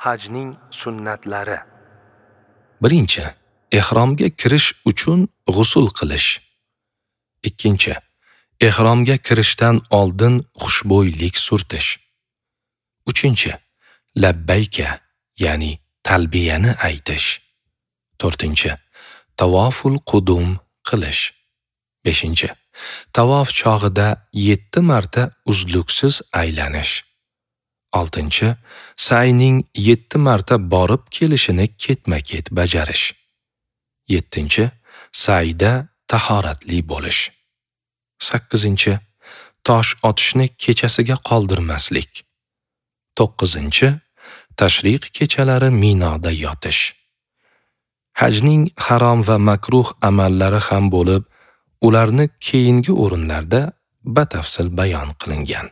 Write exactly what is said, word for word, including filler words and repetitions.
Hajning sunnatlari. Birinchi, ehromga kirish uchun g'usul qilish. Ikkinchi, ehromga kirishdan oldin xushbo'ylik surtish. Uchinchi, labbayka, ya'ni talbiyani aytish. To'rtinchi, tavoful qudum qilish. Beshinchi, tavof chog'ida yetti marta uzluksiz aylanish. Oltinchi, sayning yetti marta borib kelishini ketma-ket bajarish. Yettinchi, sayda tahoratli bo'lish. Sakkizinchi, tosh otishni kechasiga qoldirmaslik. To'qqizinchi, tashriq kechalari Minoda yotish. Hajning harom va makruh amallari ham bo'lib, ularni keyingi o'rinlarda batafsil bayon qilingan.